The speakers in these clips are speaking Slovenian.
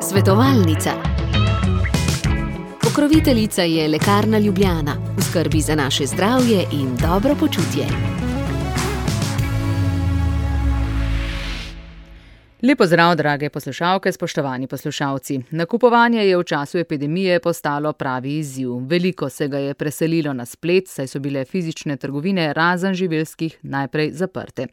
Svetovalnica. Pokroviteljica je Lekarna Ljubljana, v skrbi za naše zdravje in dobro počutje. Lep pozdrav, drage poslušalke, spoštovani poslušalci. Nakupovanje je v času epidemije postalo pravi izziv. Veliko se ga je preselilo na splet, saj so bile fizične trgovine razen živilskih najprej zaprte.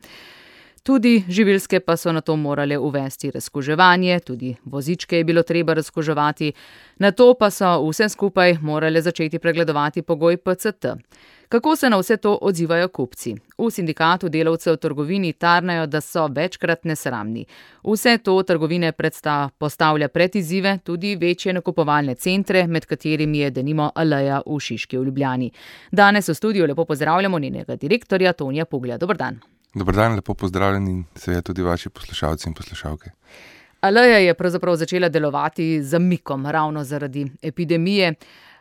Tudi živilske pa so nato morale uvesti razkuževanje, tudi vozičke je bilo treba razkuževati, nato pa so vse skupaj morale začeti pregledovati pogoj PCT. Kako se na vse to odzivajo kupci? V sindikatu delavcev v trgovini tarnajo, da so večkrat nesramni. Vse to trgovine postavlja pred izzive, tudi večje nakupovalne centre, med katerimi je denimo Aleja v Šiški v Ljubljani. Danes v studiu lepo pozdravljamo njenega direktorja Tonija Puglja. Dober dan. Dober dan, lepo pozdravljeni in seveda tudi vaši poslušalci in poslušalke. Aleja je pravzaprav začela delovati z zamikom ravno zaradi epidemije.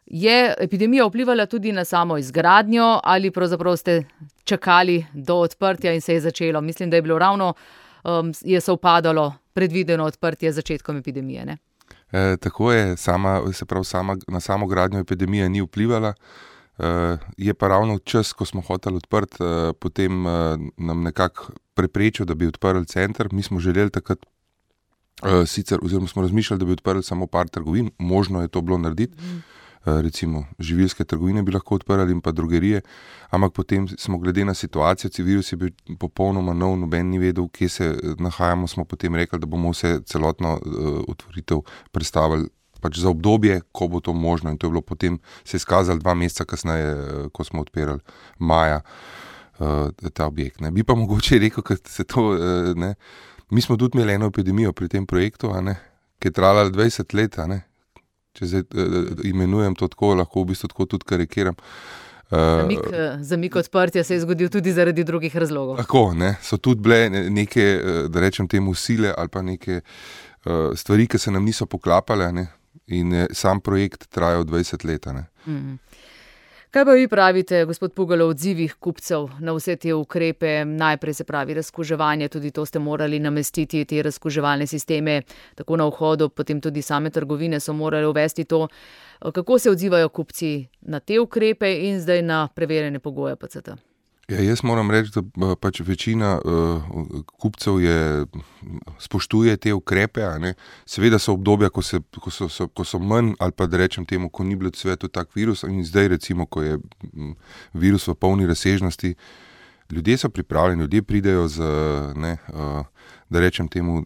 Je epidemija vplivala tudi na samo izgradnjo ali pravzaprav ste čakali do odprtja in se je začelo? Mislim, da je bilo ravno, je sovpadalo predvideno odprtje z začetkom epidemije, ne? Tako je, na samo gradnjo epidemije ni vplivala. Je pa ravno čas, ko smo hoteli odprti, potem nam nekako preprečil, da bi odprli center. Mi smo želeli takrat oziroma smo razmišljali, da bi odprli samo par trgovin, možno je to bilo narediti. Recimo živilske trgovine bi lahko odprli in pa drogerije, ampak potem smo glede na situacijo, virus je bil popolnoma nov, noben ni vedel, kje se nahajamo, smo potem rekli, da bomo celotno otvoritev predstavili pač za obdobje, ko bo to možno, in to je bilo potem se izkazalo 2 meseca kasneje, ko smo odpirali maja ta objekt. Ne. Bi pa mogoče rekel, ker se to, ne, mi smo tudi imeli eno epidemijo pri tem projektu, ki je trajala 20 let, če zdaj imenujem to tako, lahko v bistvu tako tudi karikiram. Zamik odprtja se je zgodil tudi zaradi drugih razlogov. Tako, ne, so tudi bile neke, da rečem temu, sile ali pa neke stvari, ki se nam niso poklapale, ne, in sam projekt trajal 20 let. Kaj pa vi pravite, gospod Pugelj, o odzivih kupcev na vse te ukrepe? Najprej se pravi razkuževanje, tudi to ste morali namestiti, te razkuževalne sisteme, tako na vhodu, potem tudi same trgovine so morali uvesti to. Kako se odzivajo kupci na te ukrepe in zdaj na preverjene pogoje PCT? Ja, jaz moram reči, da pač večina kupcev spoštuje te ukrepe. Seveda so obdobja, ko so manj, ali pa da rečem temu, ko ni bilo svetu tak virus, in zdaj recimo, ko je virus v polni razsežnosti, ljudje so pripravljeni, ljudje pridejo da rečem temu,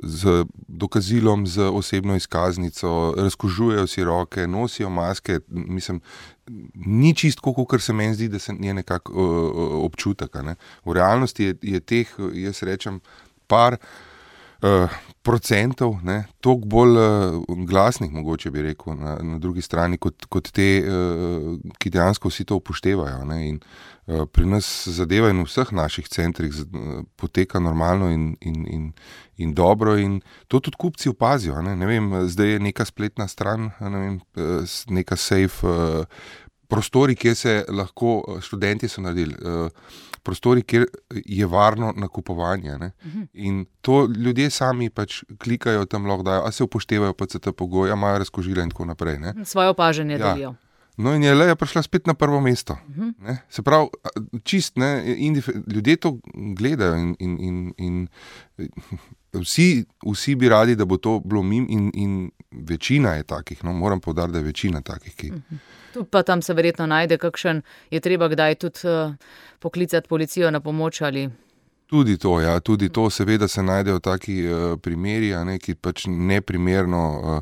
z dokazilom, z osebno izkaznico, razkužujejo si roke, nosijo maske. Mislim, ni čisto, kot se meni zdi, da se je nekako občutek. V realnosti je teh, jaz rečem, par procentov, toliko bolj glasnih, mogoče bi rekel, na drugi strani, kot te, ki dejansko vsi to upoštevajo. In pri nas zadeva in v vseh naših centrih poteka normalno in dobro, in to tudi kupci opazijo. Ne vem, zdaj je neka spletna stran, neka safe, prostori, kjer se lahko, študenti so naredili, prostori, kjer je varno nakupovanje. In to ljudje sami pač klikajo tam, lahko dajo, a se upoštevajo PCT pogoje, imajo razkužila in tako naprej. Svoje opažanje delijo. No, in je Leja prišla spet na prvo mesto. Se pravi, ljudje to gledajo in vsi bi radi, da bo to bilo mim, in večina je takih, moram poudariti, da je večina takih, ki... Tu pa tam se verjetno najde kakšen, je treba kdaj tudi poklicati policijo na pomoč ali... Tudi to, ja, tudi to, seveda se najdejo taki primeri, ki pač neprimerno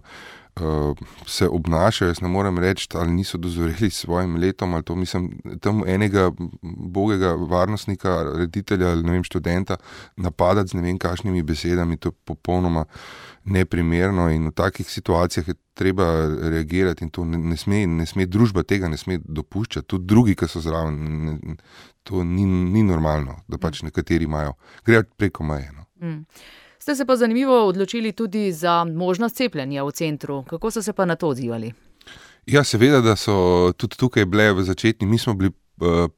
se obnašajo. Jaz ne morem reči, ali niso dozoreli s svojim letom, ali to mislim, tam enega bogega varnostnika, reditelja ali ne vem, študenta napadati z ne vem kakšnimi besedami, to je popolnoma neprimerno, in v takih situacijah je treba reagirati, in to ne sme, družba tega ne sme dopuščati, tudi drugi, ki so zraven, to ni normalno, da pač nekateri grejo preko meje. Ste se pa zanimivo odločili tudi za možnost cepljenja v centru. Kako so se pa na to odzivali? Ja, seveda, da so tudi tukaj bile v začetni, mi smo bili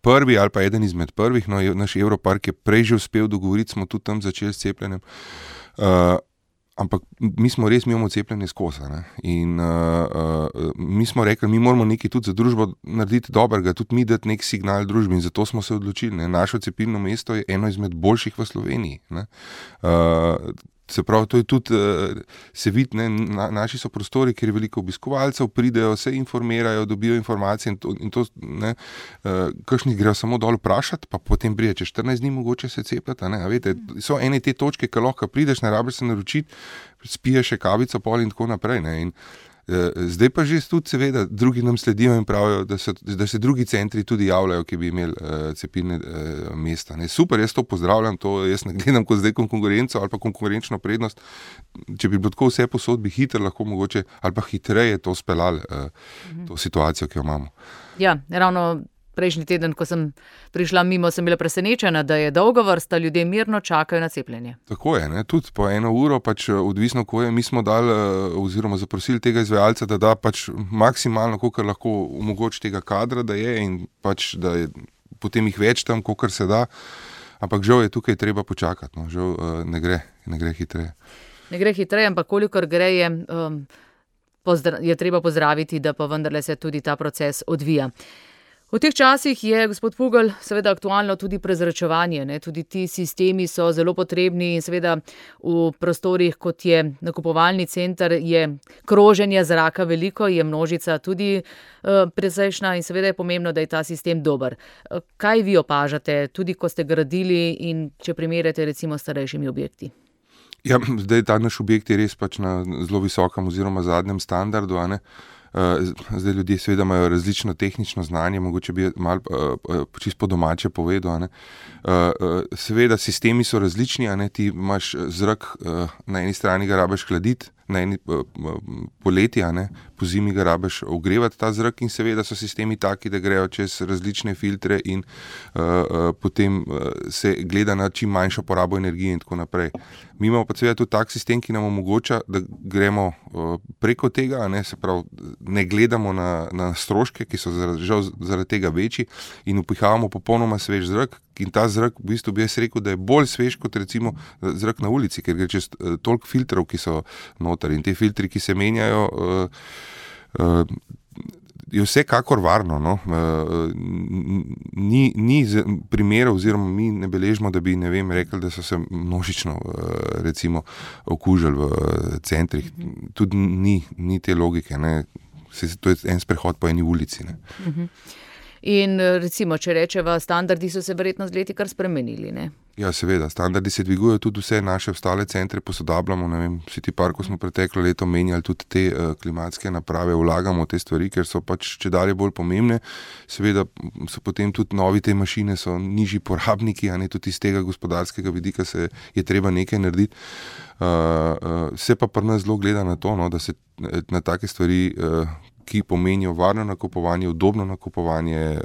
prvi ali pa eden izmed prvih, naš Evropark je prej že uspel dogovoriti, smo tudi tam začeli s cepljenjem. Ampak mi imamo cepljenje skozi. In mi smo rekli, mi moramo nekaj tudi za družbo narediti dobrega, tudi mi dati nek signal družbi in zato smo se odločili. Naše cepilno mesto je eno izmed boljših v Sloveniji. Se pravi, to je tudi, se vidi, naši so prostori, kjer je veliko obiskovalcev, pridejo, se informirajo, dobijo informacije in to, kakšni grejo samo dol vprašati, pa potem pride čez 14 dni mogoče se cepljati. Veste, so ene te točke, ki lahko prideš, ne rabiš se naročiti, spiješ še kavico pol in tako naprej. In zdaj pa že tudi seveda drugi nam sledijo in pravijo, da se drugi centri tudi javljajo, ki bi imeli cepilne mesta. Super, jaz to pozdravljam, jaz ne gledam kot zdaj konkurenco ali pa konkurenčno prednost. Če bi bilo tako vse posod, bi hitro lahko mogoče ali pa hitreje to speljali, to situacijo, ki jo imamo. Ja, ravno prejšnji teden, ko sem prišla mimo, sem bila presenečena, da je dolga vrsta, ljudje mirno čakajo na cepljenje. Tako je, tudi po 1 uro, odvisno ko je, mi smo dali oziroma zaprosili tega izvajalca, da da maksimalno, kolikor lahko omogoči tega kadra, da je in da je potem jih več tam, kolikor se da, ampak žal je tukaj treba počakati, žal ne gre hitreje. Ne gre hitreje, ampak kolikor gre je treba pozdraviti, da pa vendarle se tudi ta proces odvija. V teh časih je, gospod Pugl, seveda aktualno tudi prezračevanje. Tudi ti sistemi so zelo potrebni in seveda v prostorih, kot je nakupovalni center, je kroženja zraka veliko, je množica tudi precejšnja in seveda je pomembno, da je ta sistem dober. Kaj vi opažate, tudi ko ste gradili in če primerjate recimo s starejšimi objekti? Ja, zdaj ta naš objekt je res na zelo visokem oziroma zadnjem standardu, Zdaj ljudje seveda imajo različno tehnično znanje, mogoče bi malo čisto po domače povedal. Seveda sistemi so različni, ti imaš zrak, na eni strani ga rabiš hladiti, na eni poleti, po zimi ga rabiš ogrevati ta zrak in seveda so sistemi taki, da grejo čez različne filtre in potem se gleda na čim manjšo porabo energije in tako naprej. Mi imamo pa seveda tudi tak sistem, ki nam omogoča, da gremo preko tega, se pravi, ne gledamo na stroške, ki so žal zaradi tega večji in upihavamo popolnoma svež zrak. In ta zrak, v bistvu bi jaz rekel, da je bolj svež kot recimo zrak na ulici, ker gre čez toliko filtrov, ki so noter. In te filtri, ki se menjajo, je vsekakor varno. Ni primerov, oziroma mi ne beležimo, da bi, rekli, da so se množično recimo okužili v centrih. Tudi ni te logike. To je en sprehod po eni ulici. In recimo, če rečeva, standardi so se verjetno z leti kar spremenili, ne? Ja, seveda, standardi se dvigujejo, tudi vse naše ostale centre posodabljamo, City Parku smo preteklo leto menjali tudi te klimatske naprave, vlagamo te stvari, ker so čedalje bolj pomembne. Seveda so potem tudi novi te mašine, so nižji porabniki, tudi iz tega gospodarskega vidika je treba nekaj narediti. Se pa pri nas zelo gleda na to, da se na take stvari, ki pomenijo varno nakupovanje, udobno nakupovanje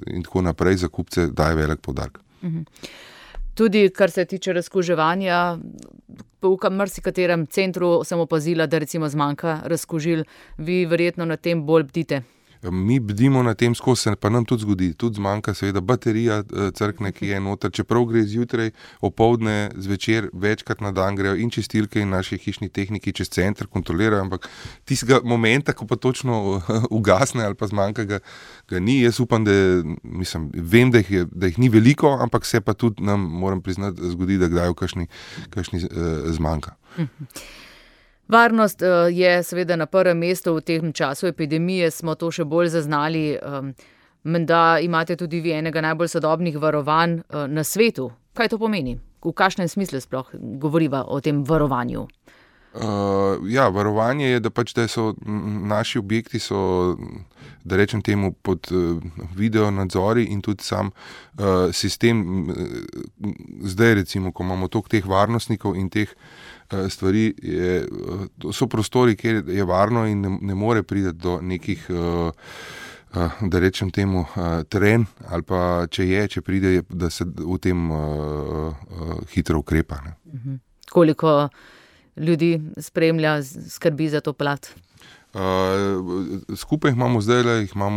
in tako naprej, za kupce daje velik poudarek. Tudi kar se tiče razkuževanja, v marsikaterem centru sem opazila, da recimo zmanjka razkužil, vi verjetno na tem bolj bdite. Mi bdimo na tem skozi, se pa nam tudi zgodi. Tudi zmanjka seveda baterija crkne, ki je noter. Čeprav gre zjutraj, opoldne, zvečer, večkrat na dan grejo in čistilke in naši hišni tehniki čez center kontrolirajo, ampak tistega momenta, ko pa točno ugasne ali pa zmanjka, ga ni. Jaz upam, vem, da jih ni veliko, ampak se pa tudi nam, moram priznati, zgodi, da kdaj kakšni zmanjka. Varnost je seveda na prvem mestu, v tem času epidemije smo to še bolj zaznali. Menda imate tudi vi enega najbolj sodobnih varovanj na svetu. Kaj to pomeni? V kakšnem smislu sploh govoriva o tem varovanju? Varovanje je, da so naši objekti, da rečem temu, pod video nadzori in tudi sam sistem. Zdaj recimo, ko imamo toliko teh varnostnikov in teh stvari, so prostori, kjer je varno in ne more priti do nekih, da rečem temu, tren, ali pa če pride, da se v tem hitro ukrepa. Koliko ljudi spremlja, skrbi za to plat? Skupaj jih imamo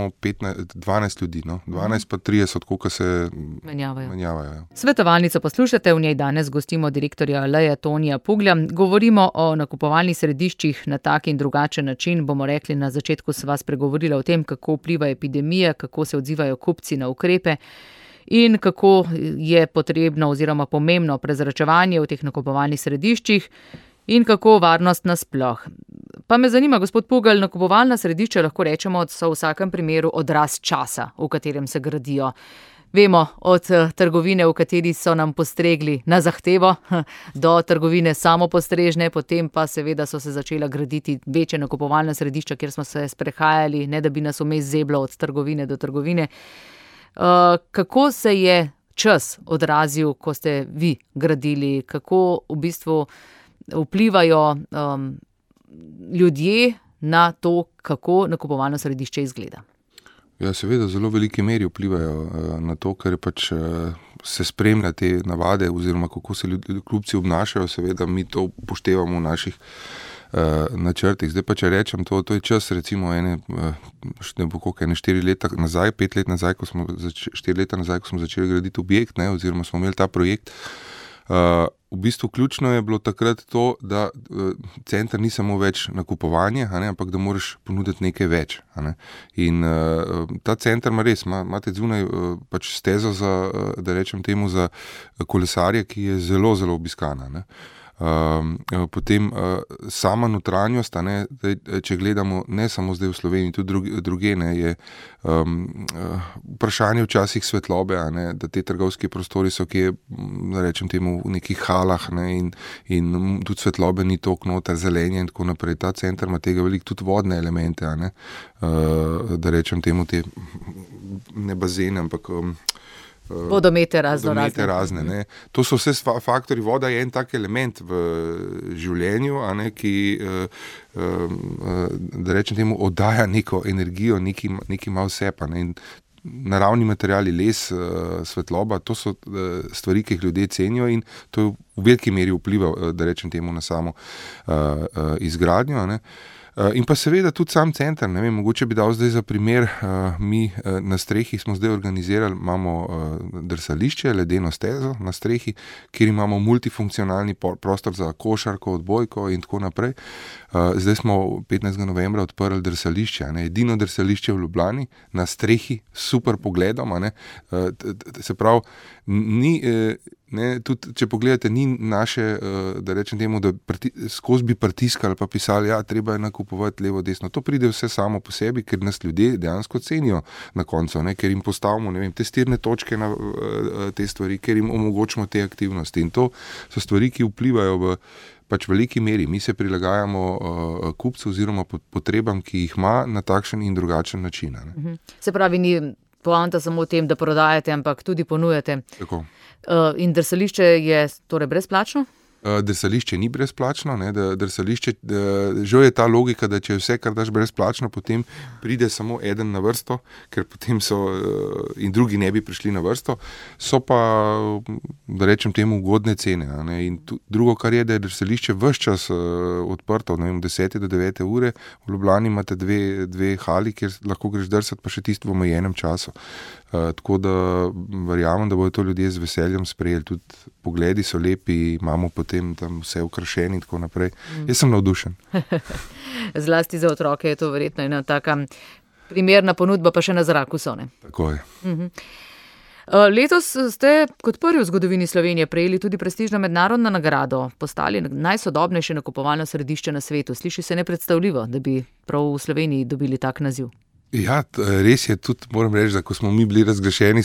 12 ljudi, no? 12 pa 30, koliko se menjavajo. Svetovalnico poslušate, v njej danes gostimo direktorja Leja Tonija Puglja. Govorimo o nakupovalnih središčih na tak in drugačen način. Bomo rekli, na začetku sva spregovorila o tem, kako vpliva epidemija, kako se odzivajo kupci na ukrepe in kako je potrebno oziroma pomembno prezračevanje v teh nakupovalnih središčih in kako varnost nasploh. Pa me zanima, gospod Pugl, nakupovalna središča lahko rečemo, so v vsakem primeru odraz časa, v katerem se gradijo. Vemo, od trgovine, v kateri so nam postregli na zahtevo, do trgovine samopostrežne, potem pa seveda so se začela graditi večje nakupovalna središča, kjer smo se sprehajali, ne da bi nas vmes zeblo od trgovine do trgovine. Kako se je čas odrazil, ko ste vi gradili, kako v bistvu vplivajo ljudje na to, kako nakupovalno središče izgleda? Ja, seveda, zelo veliki meri vplivajo na to, ker pač se spremlja te navade oziroma kako se kupci obnašajo, seveda mi to upoštevamo v naših načrtih. Zdaj pa, če rečem, to je čas recimo ene 4 leta nazaj, 5 let nazaj, 4 leta nazaj, ko smo začeli graditi objekt, ne, oziroma smo imeli ta projekt. V bistvu ključno je bilo takrat to, da center ni samo več nakupovanje, ampak da moraš ponuditi nekaj več. In ta center imate zunaj pač stezo za, da rečem temu, za kolesarje, ki je zelo, zelo obiskana. Potem sama notranjost, če gledamo ne samo zdaj v Sloveniji, tudi druge, je vprašanje včasih svetlobe, da te trgovski prostori so kje, da rečem temu, v nekih halah, in tudi svetlobe ni toliko noter, zelenje in tako naprej. Ta center ima tega veliko, tudi vodne elemente, da rečem temu, te ne bazene, ampak vodomete razne. Ne. To so vse faktori. Voda je en tak element v življenju, ki, da rečem temu, oddaja neko energijo, neki malo sepa. In naravni materiali, les, svetloba, to so stvari, ki jih ljudje cenijo in to v veliki meri vpliva, da rečem temu, na samo izgradnjo. In pa seveda tudi sam center, ne vem, mogoče bi dal zdaj za primer, mi na strehi smo zdaj organizirali, imamo drsališče, ledeno stezo na strehi, kjer imamo multifunkcionalni prostor za košarko, odbojko in tako naprej. Zdaj smo 15. novembra odprli drsališče, edino drsališče v Ljubljani, na strehi, super pogledom, se pravi, ni, tudi, če pogledate, ni naše, da rečem temu, da skozi bi pritiskali pa pisali, treba je nakupovati levo, desno. To pride vse samo po sebi, ker nas ljudje dejansko cenijo na koncu, ker jim postavimo, testirne točke na te stvari, ker jim omogočimo te aktivnosti. In to so stvari, ki vplivajo v pač veliki meri. Mi se prilagajamo kupcu oziroma potrebam, ki jih ima na takšen in drugačen način. Se pravi, ni poanta samo v tem, da prodajate, ampak tudi ponujate. Tako. In drsališče je torej brezplačno? Drsališče ni brezplačno, drsališče, žal je ta logika, da če vse, kar daš brezplačno, potem pride samo eden na vrsto, ker potem so in drugi ne bi prišli na vrsto, so pa, da rečem temu, ugodne cene. In drugo, kar je, da je drsališče ves čas odprto, 10 do 9 ure, v Ljubljani imate dve hali, kjer lahko greš drsati, pa še tisto v omejenem času. Tako da verjamem, da bodo to ljudje z veseljem sprejeli, tudi pogledi so lepi, imamo potem tam vse ukrašeni in tako naprej. Jaz sem navdušen. Zlasti za otroke je to verjetno ena taka primerna ponudba, pa še na zraku so, ne? Tako je. Letos ste kot prvi v zgodovini Slovenije prejeli tudi prestižno mednarodno nagrado, postali najsodobnejše nakupovalno središče na svetu. Sliši se nepredstavljivo, da bi prav v Sloveniji dobili tak naziv. Ja, res je, tudi moram reči, da ko smo mi bili razglašeni,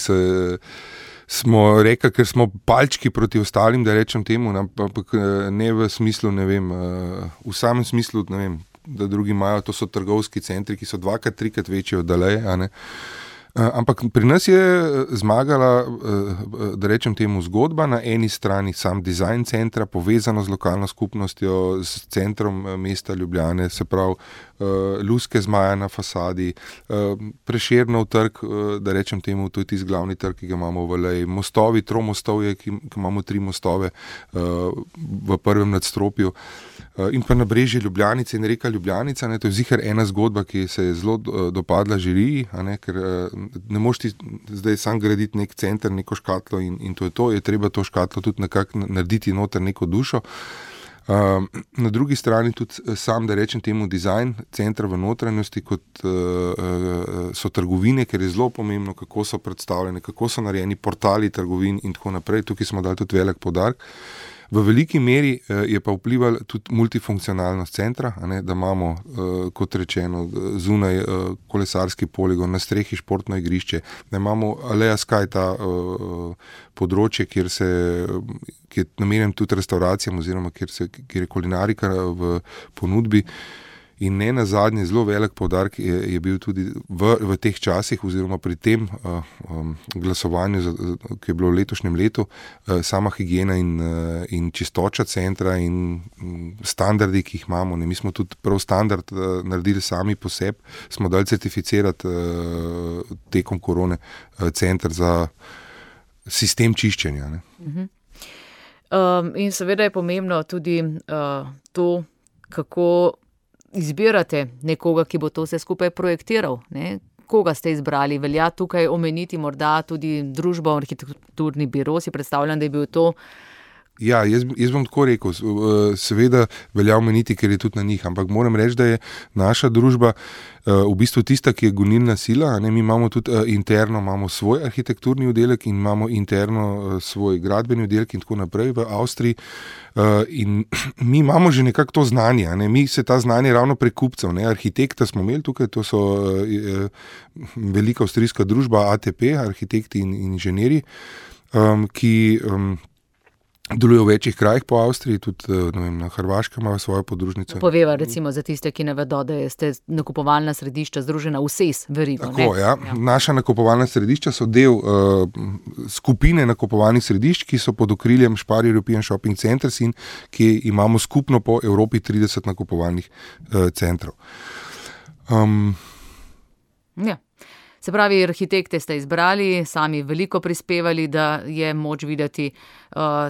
smo rekli, ker smo palčki proti ostalim, da rečem temu, ampak ne v smislu, ne vem, v samem smislu, ne vem, da drugi imajo, to so trgovski centri, ki so 2-krat, 3-krat večji od Daleje, ampak pri nas je zmagala, da rečem temu, zgodba, na eni strani sam dizajn centra, povezano z lokalno skupnostjo, s centrom mesta Ljubljane, se pravi, luske zmaja na fasadi, Prešernov trg, da rečem temu, to je tisti glavni trg, ki ga imamo v Valeji, mostovi, tromostovje, ki imamo 3 mostove v prvem nadstropju. in pa Nabrežje Ljubljanice in reka Ljubljanica, to je ziher ena zgodba, ki se je zelo dopadla žiriji, ker ne moreš ti zdaj sam graditi nek center, neko škatlo in to je treba to škatlo tudi nekako narediti noter neko dušo. Na drugi strani tudi sam, da rečem temu, dizajn centra v notranjosti, kot so trgovine, ker je zelo pomembno, kako so predstavljene, kako so narejeni portali trgovin in tako naprej. Tukaj smo dali tudi velik poudarek. V veliki meri je pa vplivala tudi multifunkcionalnost centra, da imamo, kot rečeno, zunaj kolesarski poligon, na strehi športno igrišče, da imamo Aleja Sky, ta področje, kjer je namenjen tudi restauracijam oziroma kjer je kulinarika v ponudbi. In ne nazadnje, zelo velik poudarek je bil tudi v teh časih oziroma pri tem glasovanju, ki je bilo v letošnjem letu, sama higiena in čistoča centra in standardi, ki jih imamo. Mi smo tudi prav standard naredili sami po sebi, smo dali certificirati tekom korone center za sistem čiščenja. In seveda je pomembno tudi to, kako izbirate nekoga, ki bo to vse skupaj projektiral. Koga ste izbrali? Velja tukaj omeniti morda tudi družbo Arhitekturni biro, si predstavljam, da je bil to. Ja, jaz bom tako rekel, seveda velja omeniti, ker je tudi na njih, ampak moram reči, da je naša družba v bistvu tista, ki je gonilna sila. Mi imamo tudi interno imamo svoj arhitekturni oddelek in imamo interno svoj gradbeni oddelek in tako naprej v Avstriji. In mi imamo že nekako to znanje, mi se ta znanje ravno prek kupcev, arhitekta smo imeli tukaj, to so velika avstrijska družba ATP, arhitekti in inženirji, ki delujejo v večjih krajih po Avstriji, tudi na Hrvaškem imajo svojo podružnico. Poveva recimo za tiste, ki ne vedo, da ste nakupovalna središča združena v SES verigo. Tako, ja. Naša nakupovalna središča so del skupine nakupovalnih središč, ki so pod okriljem Spar European Shopping Centers in ki imamo skupno po Evropi 30 nakupovalnih centrov. Ja. Se pravi, arhitekte ste izbrali, sami veliko prispevali, da je moč videti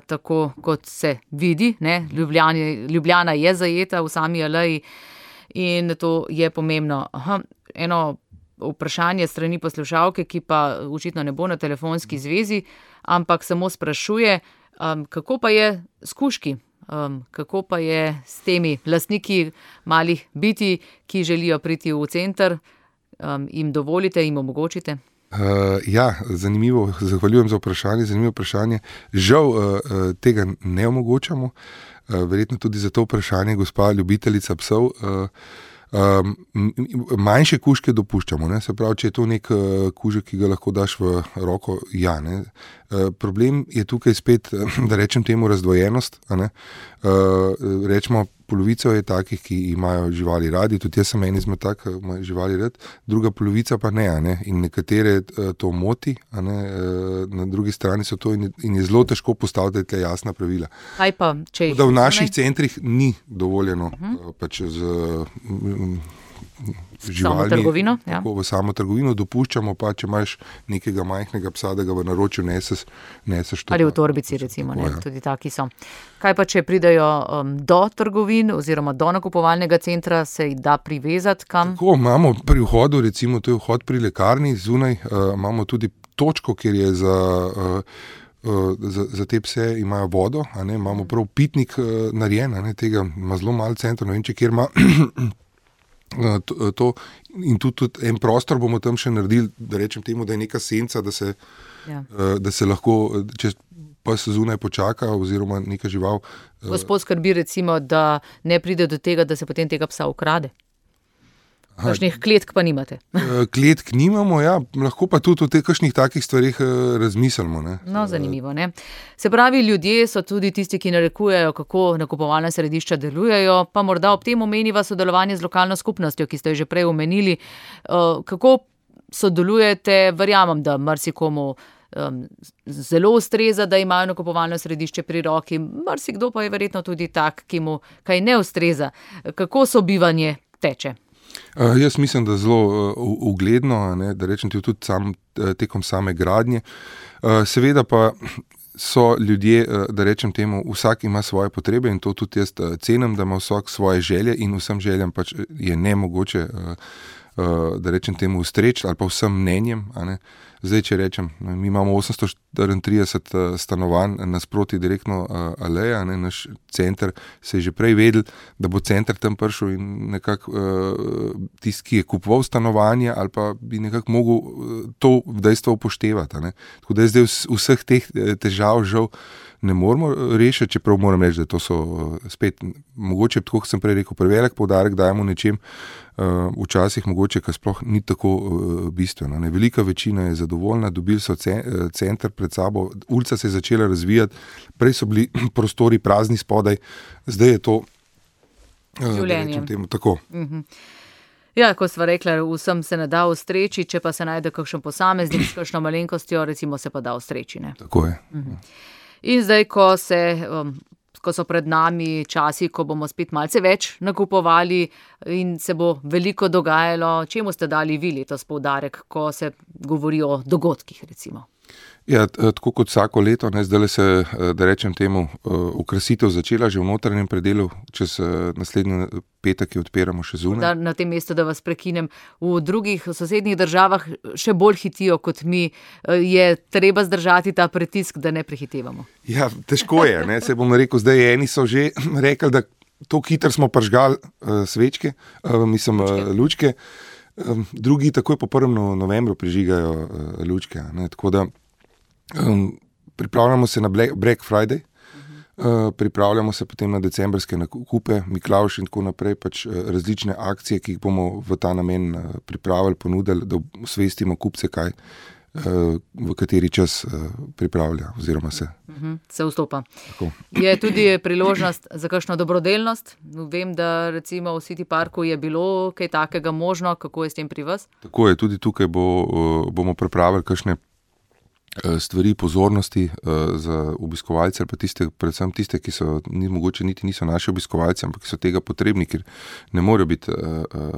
tako, kot se vidi. Ljubljana je zajeta v sami aleji in to je pomembno. Eno vprašanje strani poslušalke, ki pa očitno ne bo na telefonski zvezi, ampak samo sprašuje, kako pa je s kužki? Kako pa je s temi lastniki malih bitij, ki želijo priti v center? Jim dovolite, jim omogočite? Ja, zanimivo, zahvaljujem za vprašanje, zanimivo vprašanje. Žal tega ne omogočamo, verjetno tudi za to vprašanje gospa ljubiteljica psov. Manjše kužke dopuščamo, se pravi, če je to nek kužek, ki ga lahko daš v roko, ja. Problem je tukaj spet, da rečem temu, razdvojenost. Rečemo, polovica je takih, ki imajo živali radi, tudi jaz sem en izmed tak, imajo živali rad, druga polovica pa ne. In nekatere to moti, na drugi strani so to in je zelo težko postaviti jasna pravila. Kaj pa, če jih da v naših centrih ni dovoljeno pač z živalmi, tako v samo trgovino, dopuščamo pa, če imaš nekega majhnega psa, da ga v naročju neseš to. Ali v torbici recimo, tudi taki so. Kaj pa, če pridejo do trgovin oziroma do nakupovalnega centra, se jih da privezati kam? Tako, imamo pri vhodu, recimo to je vhod pri lekarni, zunaj imamo tudi točko, kjer je za te pse imajo vodo, imamo prav pitnik narejen, tega ima zelo malo centrov, ne vem, če kjer ima to in tudi en prostor bomo tam še naredili, da rečem temu, da je neka senca, da se lahko, če pa se zunaj počaka oziroma neka žival. Gospod skrbi recimo, da ne pride do tega, da se potem tega psa ukrade. Kakšnih kletk pa nimate? Kletk nimamo, ja, lahko pa tudi o teh kakšnih takih stvarih razmislimo. No, zanimivo, ne? Se pravi, ljudje so tudi tisti, ki narekujejo, kako nakupovalna središča delujejo, pa morda ob tem omeniva sodelovanje z lokalno skupnostjo, ki ste jo že prej omenili. Kako sodelujete? Verjamem, da marsikomu zelo ustreza, da imajo nakupovalno središče pri roki, marsikdo pa je verjetno tudi tak, ki mu kaj ne ustreza. Kako sobivanje teče? Jaz mislim, da zelo ugledno, da rečem tudi tekom same gradnje. Seveda pa so ljudje, da rečem temu, vsak ima svoje potrebe in to tudi jaz cenim, da ima vsak svoje želje in vsem željam pač je nemogoče, da rečem temu, ustreči ali pa vsem mnenjem, a ne. Zdaj, če rečem, mi imamo 834 stanovanj nasproti direktno aleja, ne, naš center se je že prej vedel, da bo center tam prišel in nekako tisti, ki je kupoval stanovanje ali pa bi nekako mogel to dejstvo upoštevati, a ne. Tako da zdaj vseh teh težav žal ne moramo rešiti, čeprav moram reči, da to so spet, mogoče, tako kot sem prej rekel, prevelik poudarek dajemo nečem, včasih mogoče, kar sploh ni tako bistveno. Ne. Velika večina je zadovoljna, dobili so center pred sabo, ulica se je začela razvijati, prej so bili prostori prazni spodaj, zdaj je to življenje. Tako. Ja, kot sva rekla, vsem se ne da ustreči, če pa se najde kakšen posameznik s kakšno malenkostjo, recimo se pa da ustreči. Ne? Tako je. In zdaj, ko so pred nami časi, ko bomo spet malce več nakupovali in se bo veliko dogajalo, čemu ste dali vi letos poudarek, ko se govori o dogodkih, recimo? Ja, tako kot vsako leto, ne, zdaj se, da rečem temu, okrasitev začela že v notranjem predelu, čez naslednji petek jo odpiramo še zunaj. Na tem mestu, da vas prekinem, v drugih sosednjih državah še bolj hitijo kot mi, je treba zdržati ta pritisk, da ne prehitevamo. Ja, težko je, ne, se bom rekel, zdaj eni so že rekli, da to hitro smo pržgali svečke, lučke, drugi takoj po 1. novembru prižigajo lučke, ne, tako da pripravljamo se na Black Friday, pripravljamo se potem na decembrske nakupe, Miklavž in tako naprej, pač različne akcije, ki jih bomo v ta namen pripravili, ponudili, da osvestimo kupce, kaj v kateri čas pripravlja oziroma se vstopa. Tako. Je tudi priložnost za kakšno dobrodelnost? Vem, da recimo v City Parku je bilo kaj takega možno, kako je s tem pri vas? Tako je, tudi tukaj bomo pripravili kakšne stvari, pozornosti za obiskovalce ali pa predvsem tiste, ki so mogoče niti niso naši obiskovalci, ampak ki so tega potrebni, ker ne morejo biti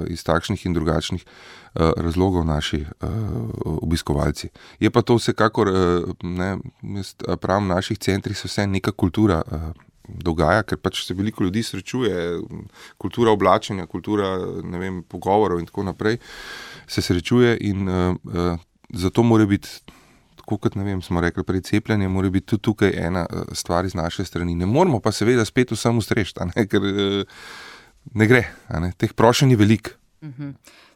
iz takšnih in drugačnih razlogov naši obiskovalci. Je pa to vsekakor, pravim, v naših centrih se vse neka kultura dogaja, ker pač se veliko ljudi srečuje, kultura oblačenja, kultura, pogovorov in tako naprej se srečuje in zato mora biti, tako kot smo rekli prej, cepljenje, mora biti tudi tukaj ena stvar iz naše strani. Ne moramo pa seveda spet vsem ustreči, ker ne gre, teh prošenj je veliko.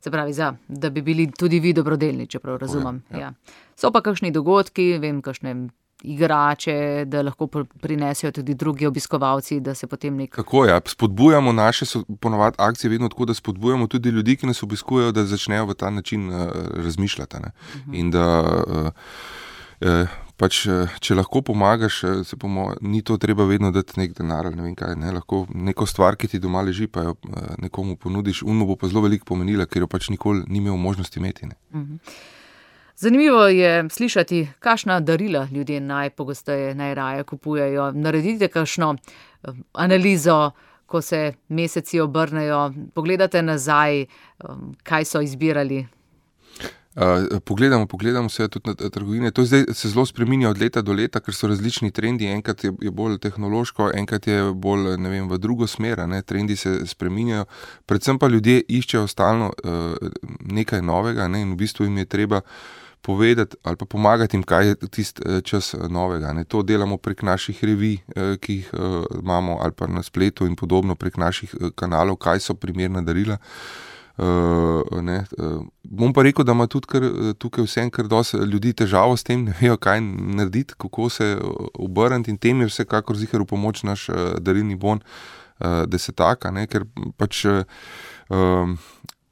Se pravi, da bi bili tudi vi dobrodelni, čeprav razumem. Ja. So pa kakšni dogodki, kakšne igrače, da lahko prinesejo tudi drugi obiskovalci, da se potem Tako je, spodbujamo naše, ponovadi akcije vedno tako, da spodbujamo tudi ljudi, ki nas obiskujejo, da začnejo v ta način razmišljati. In da pač, če lahko pomagaš, ni to treba vedno dati nek denar ali ne vem kaj, lahko neko stvar, ki ti doma leži, pa jo nekomu ponudiš, bo pa zelo veliko pomenila, ker jo pač nikoli ni imel možnosti imeti. Zanimivo je slišati, kakšna darila ljudje najpogosteje, najraje kupujejo. Naredite kakšno analizo, ko se meseci obrnejo, pogledate nazaj, kaj so izbirali. Pogledamo se tudi na trgovine. To zdaj se zelo spreminja od leta do leta, ker so različni trendi. Enkrat je bolj tehnološko, enkrat je bolj, v drugo smer. Trendi se spreminjajo. Predvsem pa ljudje iščejo stalno nekaj novega, in v bistvu jim je treba povedati ali pa pomagati jim, kaj je tisti čas novega. To delamo prek naših revij, ki jih imamo, ali pa na spletu in podobno, prek naših kanalov, kaj so primerna darila. Bom pa rekel, da ima tudi tukaj vsem kar dosti ljudi težavo s tem, ne vejo, kaj narediti, kako se obrniti, in tem je vsekakor ziher v pomoč naš darilni bon desetaka, ker pač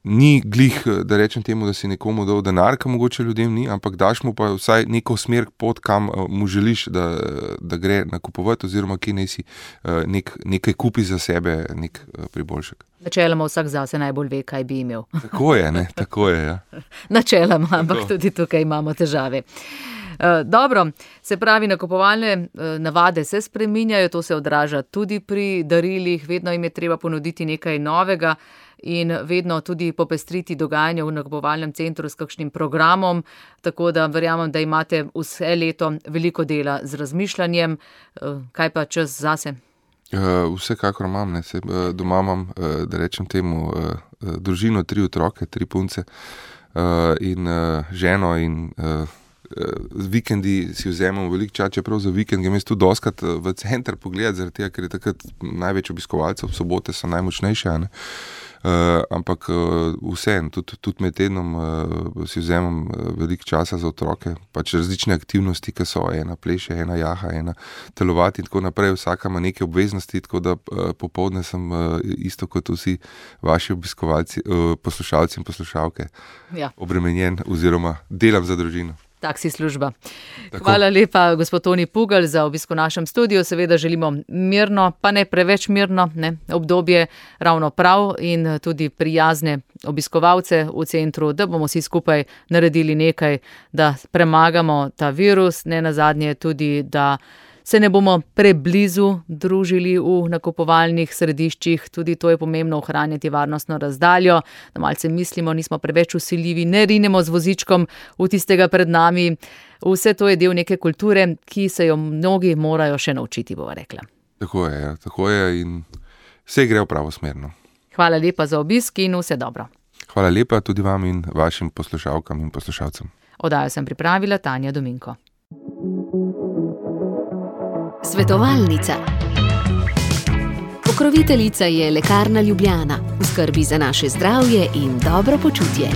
ni glih, da rečem temu, da si nekomu dal denar, ki mogoče ljudem ni, ampak daš mu pa vsaj neko smer pot, kam mu želiš, da gre nakupovati, oziroma kje naj si nekaj kupi za sebe, nek priboljšek. Načeloma vsak zase najbolj ve, kaj bi imel. Tako je, ja. Načeloma, ampak tudi tukaj imamo težave. Dobro, se pravi, nakupovalne navade se spreminjajo, to se odraža tudi pri darilih, vedno jim je treba ponuditi nekaj novega in vedno tudi popestriti dogajanje v nakupovalnem centru s kakšnim programom, tako da verjamem, da imate vse leto veliko dela z razmišljanjem. Kaj pa čas zase? Vsekakor imam, doma imam, da rečem temu, družino, 3 otroke, 3 punce in ženo in z vikendi si vzemem veliko časa, čeprav za vikend grem jaz tudi dostikrat v center pogledati, zaradi tega, ker je takrat največ obiskovalcev, sobote so najmočnejše, ne. Ampak vseeno, tudi med tednom si vzemem veliko časa za otroke, pač različne aktivnosti, ki so, ena pleše, ena jaha, ena telovati in tako naprej, vsaka ima neke obveznosti, tako da popoldne sem isto kot vsi vaši obiskovalci, poslušalci in poslušalke, obremenjen oziroma delam za družino. Taksi služba. Tako. Hvala lepa, gospod Toni Pugalj, za obisk v našem studiu. Seveda želimo mirno, pa ne preveč mirno, obdobje ravno prav in tudi prijazne obiskovalce v centru, da bomo vsi skupaj naredili nekaj, da premagamo ta virus, ne nazadnje tudi, da se ne bomo preblizu družili v nakupovalnih središčih, tudi to je pomembno, ohranjati varnostno razdaljo, da malce mislimo, nismo preveč vsiljivi, ne rinemo z vozičkom v tistega pred nami. Vse to je del neke kulture, ki se jo mnogi morajo še naučiti, bova rekla. Tako je in vse gre v pravo smer. Hvala lepa za obisk in vse dobro. Hvala lepa tudi vam in vašim poslušalkam in poslušalcem. Oddajo sem pripravila Tanja Dominko. Svetovalnica. Pokroviteljica je Lekarna Ljubljana, v skrbi za naše zdravje in dobro počutje.